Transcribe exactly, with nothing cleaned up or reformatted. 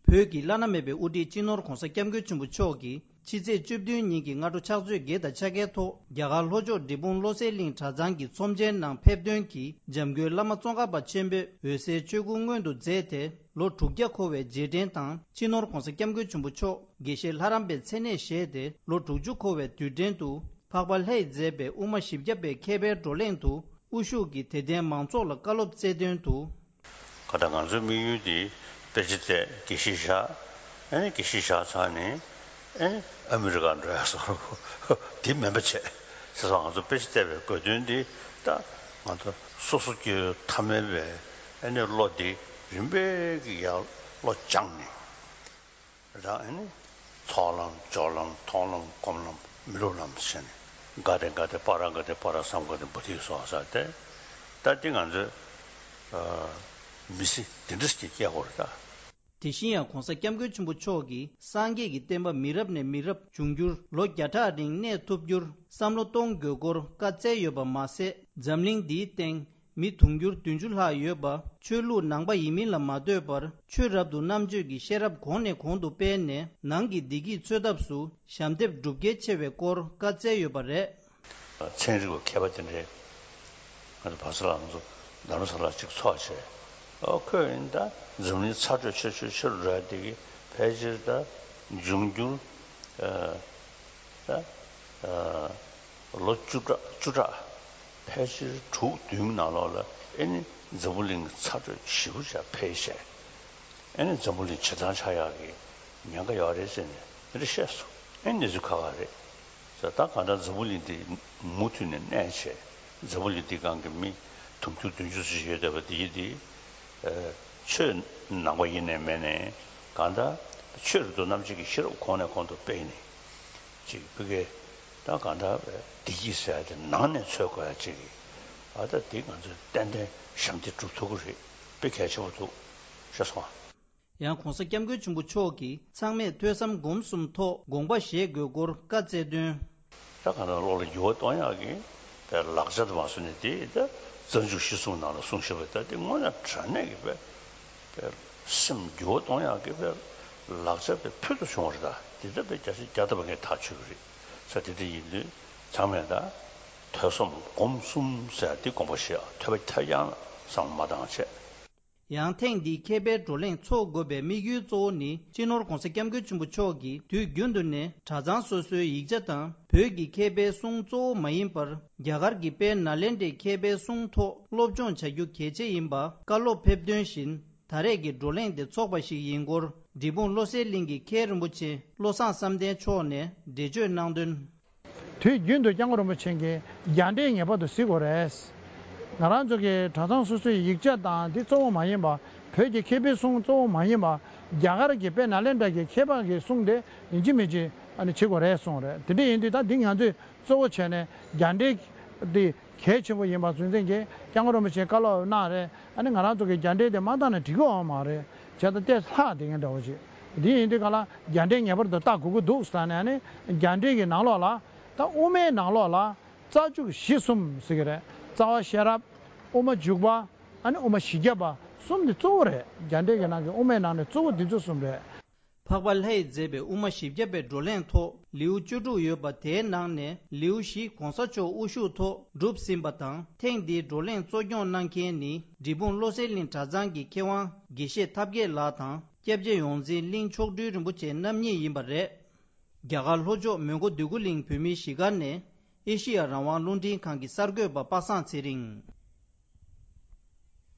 བོད་ཀྱི་བླ་ན་མེད་པའི་དབུ་ཁྲིད་སྤྱི་ནོར་༧གོང་ས་༧སྐྱབས་མགོན་ཆེན་པོ་མཆོག་གིས་ཕྱི་ཚེས་བཅུ་བདུན་ཉིན་གྱི་སྔ་དྲོ་ཕྱག་ཚོད་བརྒྱད་དང་ཕྱེད་ཀའི་ཐོག་རྒྱ་གར་ལྷོ་ཕྱོགས་འབྲས་སྤུངས་བློ་གསལ་གླིང་གྲྭ་ཚང་གི་ཚོམས་ཆེན་ནང་ཕེབས་ཐོན་གྱིས་འཇམ་མགོན་བླ་མ་ཙོང་ཁ་པ་ཆེན་པོས་འོད་གསལ་ཆོས་སྐུ་མངོན་དུ་མཛད་དེ། ལོ་དྲུག་བརྒྱ་འཁོར་བའི་རྗེས་དྲན་དང་། སྤྱི་ནོར་༧གོང་ས་༧སྐྱབས་མགོན་ཆེན་པོ་མཆོག་དགེ་བཤེས་ལྷ་རམས་པའི་མཚན་གནས་བཞེས་ཏེ་ལོ་དྲུག་ཅུ་འཁོར་བའི་དུས་དྲན་དུ། འཕགས་པ་ལྷས་མཛད་པའི་དབུ་མ་བཞི་བརྒྱ་པའི་མཁས་པའི་བགྲོ་གླེང་དུ་དབུ་བཞུགས་ཀྱིས་དད་ལྡན་མང་ཚོགས་ལ་བཀའ་སློབ་སྩལ་དོན་དུ། ག་ད་ང་ཚོའི་དམིགས་ཡུལ་དེ་དཔེ་ཆ་བལྟས་དགེ་བཤེས་བཞག་ཨེ་ནི་དགེ་བཤེས་བཞག་ཚར་ནས་ཨེ་ནི་ཨ་མི་རི་ཀ་འགྲོ་ཡ་སོགས་དེ་མིན་པ་བྱས་ཟེར་སོང་། ང་ཚོ་དཔེ་ཆ་བལྟས་པའི་དགོས་དོན་དེ་ད་ང་ཚོ་སོ་སོ་སྐྱེ་བོའི་ཐ་མལ་པའི་ཨེ་ནི་བློ་དེ་རིམ་པས་ཀྱི་ཡར་བློ་སྦྱངས་ནས། རང་ཨེ་ནི་ཚོགས་ལམ་སྦྱོར་ལམ་མཐོང་ལམ་སྒོམ་ལམ་མི་སློབ་ལམ་ཟེར་ནས་ག་དེ་ག་དེ་པ་ར་ག་དེ་པ་ར་སམ་ག་དེ་བོ་དྷི་སྭཱ་ཧཱ་ཟེར་ཏེ། ད་འདི་ང་ཚོས་མི་ཚེ་འདི་འདྲ་ཞིག་སྐྱེལ་དགོས་རེད་ད། དེ་བཞིན་ཡང་༧གོང་ས་༧སྐྱབས་མགོན་ཆེན་པོ་མཆོག་གིས་སངས་རྒྱས་ཀྱི་བསྟན་པ་མི་རབས་ནས་མི་རབས་འབྱུང་འགྱུར་ལོ་བརྒྱ་ཕྲག་རིང་གནས་ཐུབ་རྒྱུར་བསམ་བློ་གཏོང་དགོས་སྐོར་བཀའ་སྩལ་ཡོད་པ་མ་ཟད། འཛམ་གླིང་འདིའི་སྟེང་མི་དུང་ཕྱུར་བདུན་ཅུ་ལྷག་ཡོད་པ་ཆོས་ལུགས་ནང་པ་ཡིན་མིན་ལ་མ་ལྟོས་པར་ཆོས་རབ་ཏུ་རྣམ་དཔྱོད་ཀྱི་ཤེས་རབ་གོང་ནས་གོང་དུ་སྤེལ་ནས་ནང་གི་བདེ་སྐྱིད་འཚོལ་ཐབས་སུ་ཞབས་འདེགས་སྒྲུབ་གལ་ཆེ་བའི་སྐོར་བཀའ་སྩལ་ཡོད་པ་རེད། ཚན་རིག་པ་མཁས་པ་དེ་འདྲས་ང་ཚོ་བར་ས་ལ་ང་ཚོ་རྡ་རམ་ས་ལ་གཅིག་ཚོགས་བྱས། ཨོ་ཁོས་ཡིན་ད་འཛམ་གླིང་ཚ་དྲོད་ཆེ་ཆེ་ཆེ་རུ་འགྲོ་ཡ་དེ་གི་ཕལ་ཆེར་ད་འབྱུང་འགྱུར་ད་ལོ་བཅུ་ཕྲག་བཅུ་ཕྲག་ཕལ་ཆེར་དྲུག་བདུན་ནང་ལོགས་ལ་ཨེ་ནི་འཛམ་བུ་གླིང་གི་ཚ་དྲོད་ཞེ་པོ་ཅིག་འཕེལ་བྱས། ཨེ་ནི་འཛམ་བུ་གླིང་བྱེ་ཐང་ཆགས་ཡག་གི་ཉེན་ཁ་ཡོད་རེད་ཟེར་ནས་དེ་འདྲ་བཤད་སོང་། ཨེ་ནི་གནས་ཚུལ་ཁག་ཁག་རེད་ཟེར། ད་གང་ལྟར་འཛམ་བུ་གླིང་འདི་མུ་མཐུད་ནས་གནས་བྱས། འཛམ་བུ་གླིང་འདི་སྒང་གི་མི་དུང་ཕྱུར་བདུན་ཅུ་ཙམ་ཞིག་ཡོད་བསྡད་པ་འདི་ཡིན་ཏེ། ཆོས་ནང་པ་ཡིན་ནའི་མེད་ནའི་གང་ལྟར་ཆོས་རབ་ཏུ་རྣམ་དཔྱོད་ཀྱི་ཤེས་རབ་གོང་ནས་གོང་དུ་སྤེལ་ནས་ཅིག་བུ་གའི་ད་གང་ལྟར་བདེ་སྐྱིད་ཟེར་ཡ་དེ་ནང་ནས་འཚོལ་དགོས་ཡ་ཅིག་གི་ཨ་ད་འདི་ང་ཚོས་ཏན་ཏན་ཞབས་འདེགས་སྒྲུབ་ཐུབ་ཀྱི་རེད། དཔེ་གལ་ཆེན་པོ་འདུག་ཤེས་སོང་ཨ། ཡང་༧གོང་ས་༧སྐྱབས་མགོན་ཆེན་པོ་མཆོག་གིས་ཚང་མས་ཐོས་བསམ་སྒོམ་གསུམ་ཐོག་དགོངས་པ་བཞེས་དགོས་སྐོར་བཀའ་སྩལ་དོན། ད་གང་ལྟར་བློ་ལ་འགྱུར་བ་གཏོང་ཡག་གི་དཔེ་ལག་ཆ་དུ་མ་སོང་ནས་དེ་ད་རྩ་འཇུག་གཞི་གསུམ་ནང་ལ་གསུངས་བཞག་པ་ད་དེ་དངོས་གནས་དྲང་གནས་ཀྱི་དཔེ་དཔེ་སེམས་འགྱུར་བ་གཏོང་ཡག་གི་དཔེ་ལག་ཆ་དཔེ་ཕུལ་དུ་བྱུང་བ་རེད། ད་དེ་ད་དཔེ་བརྒྱ་ཆ་བརྒྱ་ཐམ་པ་ངས་ཐག་ཆོད་ཀྱི་རེད་ཟེར། དེ་འདྲ་ཡིན་དུས་ཚང་མས་ད་ཐོས་བསམ་སྒོམ་གསུམ་ཟེར་དེ་དགོངས་པ་བཞེས། ཐོས་པ་ཐོས་རྐྱང་ལ་བསམ་བློ་མ་བཏང་བྱས། ཡང་ཐེངས་འདིའི་མཁས་པའི་བགྲོ་གླེང་འཚོགས་དགོས་པའི་དམིགས་ཡུལ་གཙོ་བོ་ནི་སྤྱི་ནོར་༧གོང་ས་༧སྐྱབས་མགོན་ཆེན་པོ་མཆོག་གིས་དུས་རྒྱུན་དུ་ནས་གྲྭ་ཚང་སོ་སོའི་ཡིག་ཆ་དང་བོད་ཀྱི་མཁས་པའི་གསུང་གཙོ་བོ་མ་ཡིན་པར་རྒྱ་གར་གྱི་དཔལ་ནཱ་ལེནྡྲའི་མཁས་པའི་གསུང་ཐོག་སློབ་སྦྱོང་བྱ་རྒྱུ་གལ་ཆེ་ཡིན་པ་བཀའ་སློབ་ཕེབས་དོན་བཞིན་ད་རེས་ཀྱི་བགྲོ་གླེང་དེ་འཚོགས་པ་ཞིག་ཡིན་སྐོར་འབྲས་སྤུངས་བློ་གསལ་གླིང་གི་མཁན་རིན་པོ་ཆེ་བློ་བཟང་བསམ་གཏན་མཆོག་ནས་འགྲེལ་བརྗོད་གནང་དོན། དུས་རྒྱུན་དུ་སྐྱབས་མགོན་རིན་པོ་ཆེ་གིས་རྒྱ་འགྲེལ་ངེས་པར་དུ་གཟིགས་དགོས་རེད། ང་རང་ཚོ་གི་གྲྭ་ཚང་སོ་སོའི་ཡིག་ཆ་དང་འདི་གཙོ་བོ་མ་ཡིན་པ། བོད་ཀྱི་མཁས་པའི་གསུང་གཙོ་བོ་མ་ཡིན་པ། རྒྱ་གར་གྱི་དཔལ་ནཱ་ལེནྡྲ་གྱི་མཁས་པ་གི་གསུང་དེ་ཡིན་གཅིག་མིན་གཅིག་ཨ་ནི་བྱེད་དགོས་རེད་གསུངས་རེད། དེ་འདྲ་ཡིན་དུས་ད་འདི་ང་ཚོས་གཙོ་བོ་བྱས་ནས་རྒྱ་འགྲེལ་འདི་གལ་ཆེན་པོ་ཡིན་པ་ཚུལ་འཛིན་གྱིས་སྐྱབས་མགོན་རིན་པོ་ཆེ་བཀའ་སློབ་གནང་རེད། ཨ་ནི་ང་རང་ཚོ་གི་རྒྱ་འགྲེལ་དེ་མ་བཏང་ན་འགྲིག་གི་ཡོད་མ་རེད། བྱས་ཙང་དེ་ལྷག་དེ་ངས་འདྲ་བོ་ཅིག་འདི་ཡིན་དུས་ག་ལ་རྒྱ་འགྲེལ་ངེས་པར་དུ་ལྟ་དགོས་ཀྱི་འདུག་ཟེར་ནས་ཨ་ནི་རྒྱ་འགྲེལ་གྱི་ནང་ལོགས་ལ་ད་དབུ་མའི་ནང་ལོགས་ལ་རྩ་འཇུག་གཞི་གསུམ་ཟེར་གྱི་རེད། རྩ་བ་ཤེས་རབ། དབུ་མ་འཇུག་པ། ཨ་ནི་དབུ་མ་བཞི་བརྒྱ་པ་གསུམ་འདི་གཙོ་བོ་རེད། རྒྱ་འགྲེལ་གྱི་ནང་གི་དབུ་མའི་ནང་ནས་གཙོ་བོ་འདི་ཚོ་གསུམ་རེད། འཕགས་པ་ལྷས་མཛད་པའི་དབུ་མ་བཞི་བརྒྱ་པའི་བགྲོ་གླེང་ཐོག་ལེའུ་བཅུ་དྲུག་ཡོད་པ་དེའི་ནང་ནས་ལེའུ་བཞི་གོང་ས་མཆོག་དབུ་བཞུགས་ཐོག་གྲུབ་ཟིན་པ་དང་། ཐེངས་འདིའི་བགྲོ་གླེང་གཙོ་སྐྱོང་གནང་མཁན་ནི་འབྲས་སྤུངས་བློ་གསལ་གླིང་གྲྭ་ཚང་གི་མཁས་དབང་དགེ་བཤེས་ཐབས་མཁས་ལགས་དང་། སྐྱབས་རྗེ་ཡོངས་འཛིན་གླིང་མཆོག་སྤྲུལ་རིན་པོ་ཆེ་རྣམ་གཉིས་ཡིན་པ་རེད། རྒྱ་གར་ལྷོ་ཕྱོགས་མོན་གྷོ་འདོད་རྒུ་གླིང་བོད་མིའི་གཞིས་སྒར་ནས་ཨེ་ཤི་ཡ་རང་དབང་རླུང་འཕྲིན་ཁང་གི་གསར་འགོད་པ་པ་སངས་ཚེ་རིང་།